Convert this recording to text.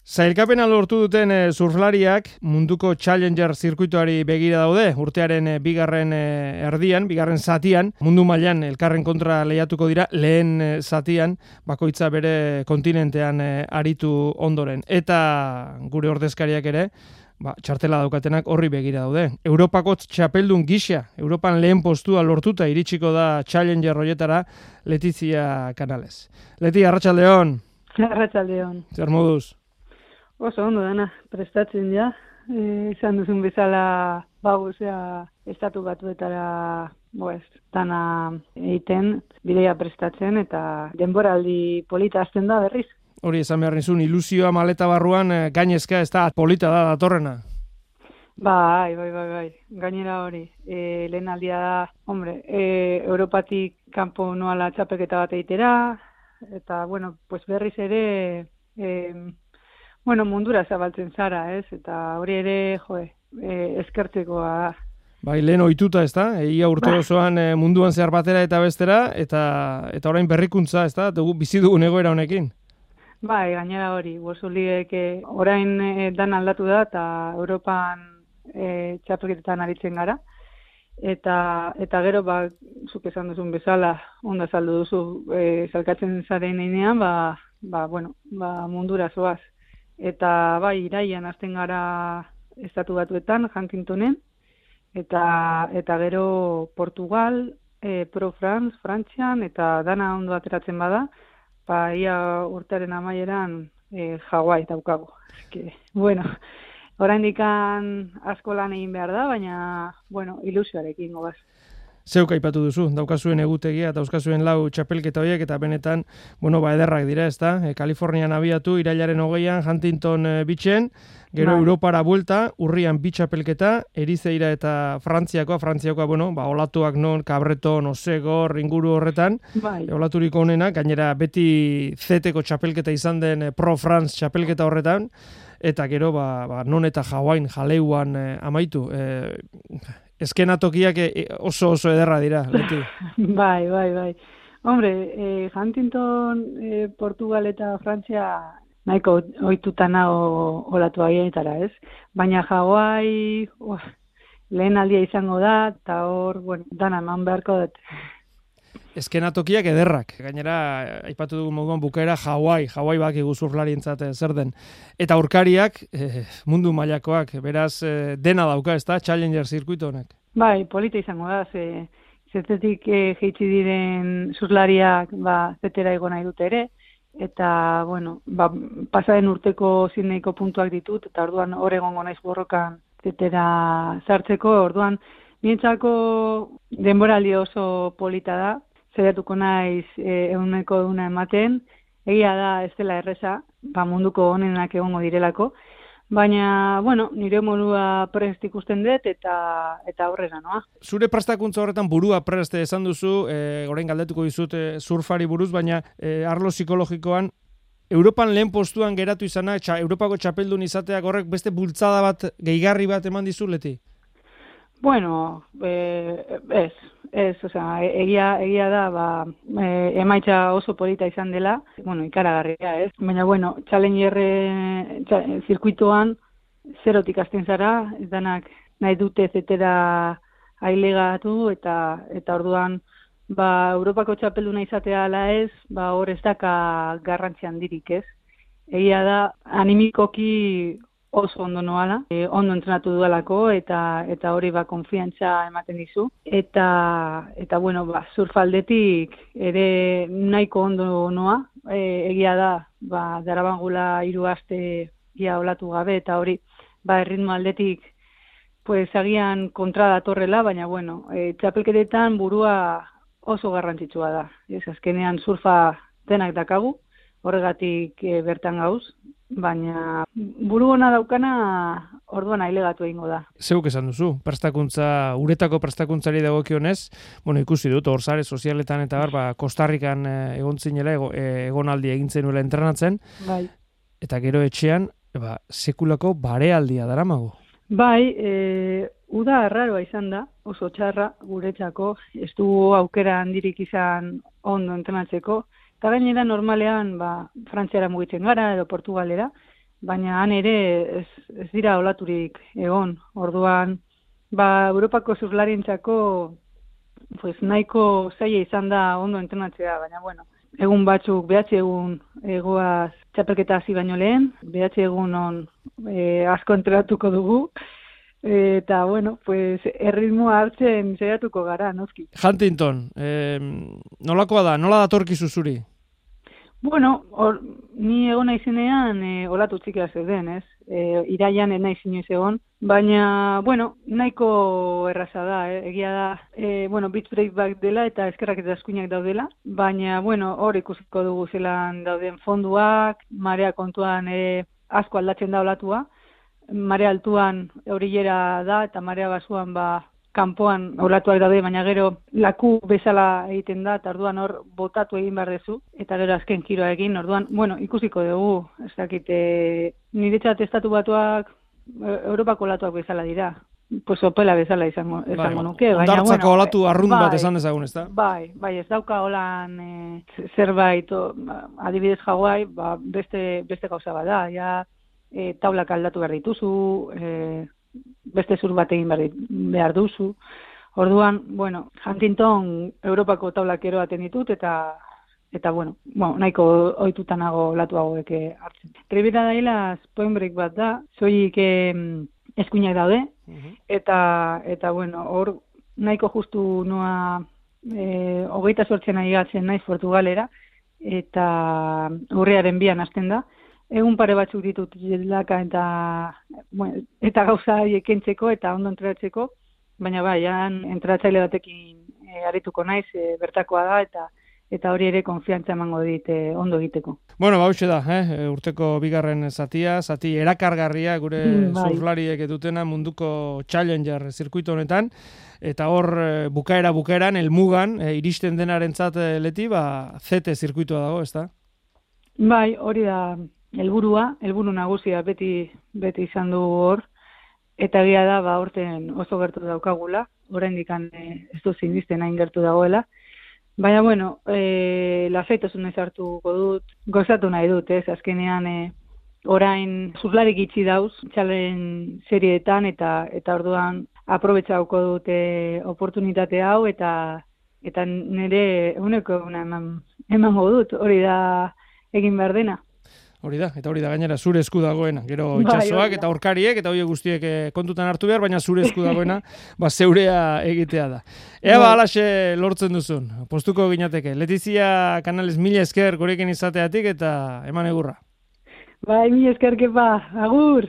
Sailkapena lortu duten surflariak munduko Challenger zirkuituari begira daude. Urtearen bigarren zatian, mundu mailan elkarren kontra lehiatuko dira, lehen zatian, bakoitza bere kontinentean aritu ondoren. Eta gure ordezkariak ere, txartela daukatenak horri begira daude. Europako txapeldun gisa, Europan lehen postua lortuta iritsiko da Challenger horietara, Letizia Canales. Leti, arratsaldeon. Arratsaldeon. Zer moduz? Oso ondo dana, prestatzen ja. Izan duzun bezala, estatu batuetara dana egiten, bidea prestatzen eta denboraldi polita hasten da berriz. Hori esan behar nizun, ilusioa maleta barruan gainezka ez da polita da datorrena. Bai. Gainera hori. Lehen aldia da, Europatik kanpo noala txapelketa bat egitera, eta, berriz ere, mundura zabaltzen zara, ez? Eta hori ere, eskertzekoa da. Bai, lehen ohituta, ez da? Ia urte osoan munduan zehar batera eta bestera, eta orain berrikuntza, ez da? Bizi dugun egoera honekin. Bai, gainera hori. Bosuliek orain dan aldatu da, eta Europan txapelketetan aritzen gara. Eta gero, zuk esan duzun bezala, onda saldu duzu, salkatzen zaren einean, mundura zoaz. Eta iraian hasten gara estatu batuetan, Huntingtonen, eta gero Portugal, Pro France, Frantzian, eta dana ondo ateratzen bada, ia urtearen amaieran Hawaii daukagu. Oraindik asko lan egin behar da, baina, ilusioarekin gogaz. Zeuk aipatu duzu, daukazuen egutegia eta dauzkazuen 4 txapelketa horiek eta benetan, ederrak dira, ezta? Kalifornian abiatu, irailaren 20an, Huntington Beachen, gero Europara buelta, urrian 2 txapelketa, Erizeira eta Frantziakoa, olatuak non, Cabreton, Osegor, inguru horretan, olaturiko honenak, gainera beti zeteko txapelketa izan den Pro France txapelketa horretan, eta gero, non eta Hawaiian, Jaleuan amaitu. Eskenatokiak oso ederra dira, Leti. Bai. Huntington, Portugal eta Frantzia nahiko ohituta nago olatu haietara, ez? Baina Hawaii lehen aldia izango da, eta hor, dana eman beharko dut. Eskenatokiak ederrak. Gainera, aipatu dugu moduan bukaera Hawaii bakigu surflarientzat zer den. Eta aurkariak, mundu mailakoak, beraz dena dauka, ez da, Challenger zirkuito honek. Bai, polita izango da, zetetik jeitsi diren surflariak zetera ego nahi dute ere, eta, pasaren urteko Sydneyko puntuak ditut, eta orduan hor egongo naiz borrokan zetera sartzeko, orduan nientzako denboraldi oso polita da, zeratuko naiz eguneko eguna ematen, egia da ez dela erreza, munduko honenak egongo direlako, baina, nire modua prest ikusten dut eta aurrera, noa. Zure prestakuntza horretan burua prest esan duzu, orain galdetuko dizut surfari buruz, baina arlo psikologikoan, Europan lehen postuan geratu izanak, Europako txapeldun izateak horrek beste bultzada bat, gehigarri bat eman dizu, Leti? Egia da, emaitza oso polita izan dela, ikaragarria, ez? Baina, Challenger zirkuitoan zerotik hasten zara, ez danak nahi dute zetera ailegatu, eta orduan, Europako txapelduna izatea ala ez, hor ez daka garrantzi handirik, ez? Egia da, animikoki oso ondo noala, ondo entrenatu dualako, eta hori konfiantza ematen dizu. Eta surfaldetik ere nahiko ondo noa, egia da, darabangula 3 aste ia olatu gabe, eta hori, erritmo aldetik, agian kontra datorrela, baina, txapelketetan burua oso garrantzitsua da. Azkenean surfa denak dakagu, horregatik bertan gauz, baina buru ona daukana orduan ailegatu egingo da. Zeuk esan duzu, uretako prestakuntzari dagokionez, ikusi dut, hor sare sozialetan eta Kostarrikan egon zinela, egonaldi egin zenuela entrenatzen, eta gero etxean, sekulako barealdia daramago. Uda arraroa izan da, oso txarra guretzako, ez du aukera handirik izan ondo entrenatzeko, eta gainera normalean Frantziara mugitzen gara edo Portugalera, baina han ere ez dira olaturik egon. Orduan, Europako surflarientzako pues nahiko zaila izan da ondo entrenatzea, baina bueno, egun batzuk, 9 egun egoaz txapelketa hasi baino lehen, 9 egun asko entrenatuko dugu, eta bueno, pues erritmoa hartzen saiatuko gara, noski. Huntington, nolakoa da, nola datorkizu zuri? Bueno, ni egon naizenean olatu txikia zeuden, ez? Iraian ez naiz inoiz egon, baina, bueno, nahiko erraza da, egia da, bueno, beach break back dela eta eskerrak eta eskuinak daudela, baina, bueno, hor ikusiko dugu zelan dauden fonduak, marea kontuan asko aldatzen da olatua, marea altuan eurillera da eta marea basuan kanpoan olatuak daude, baina gero laku bezala egiten da, eta orduan hor botatu egin behar dezu, eta gero azken kiroa egin, orduan, bueno, ikusiko dugu, ez dakit, niretzat estatu batuak Europako olatuak bezala dira, pues opela bezala izango nuke. Ondartzako olatu arrunt bat esan dezagun, ez da? Bai, ez dauka holan zerbait, adibidez Hawaii, beste gauza bada, ja taulak aldatu behar dituzu, beste zur bat egin behar duzu. Orduan, bueno, Huntington Europako taulak eroaten ditut, eta bueno, nahiko ohitutanago olatu hauek hartzen. Ribera dailaz point break bat da, soilik eskuinak daude, eta bueno, hor nahiko justu noa 28 aigatzen naiz Portugalera, eta urriaren 2an hasten da. Egun pare batzuk ditut jelaka eta gauza ekentzeko eta ondo entrenatzeko, baina bai, entrenatzaile batekin arituko naiz, bertakoa da, eta hori ere konfiantza emango dit ondo egiteko. Bueno, hauxe da, urteko bigarren zati erakargarria gure surflariek dutena munduko Challenger zirkuito honetan, eta hor bukaeran, helmugan, iristen denarentzat leti, ZT zirkuitoa dago, ezta? Bai, hori da helburu nagusia beti izan du hor, eta egia da, horten oso gertu daukagula, oraindik ez du zinisten hain gertu dagoela, baina, bueno, lasaitasunez hartuko dut, gozatu nahi dut, azkenean orain surflarik itxi dauz, txalen serietan, eta orduan aprobetxauko dute oportunitate hau, eta nire uneko emango dut, hori da egin behar dena. Hori da gainera zure esku dagoena, gero itsasoak eta aurkariek eta horiek guztiek kontutan hartu behar, baina zure esku dagoena zeurea egitea da. Ea halaxe lortzen duzun, postuko ginateke. Letizia Canales, mila esker gurekin izateatik eta eman egurra. Bai, mila esker kepa, agur!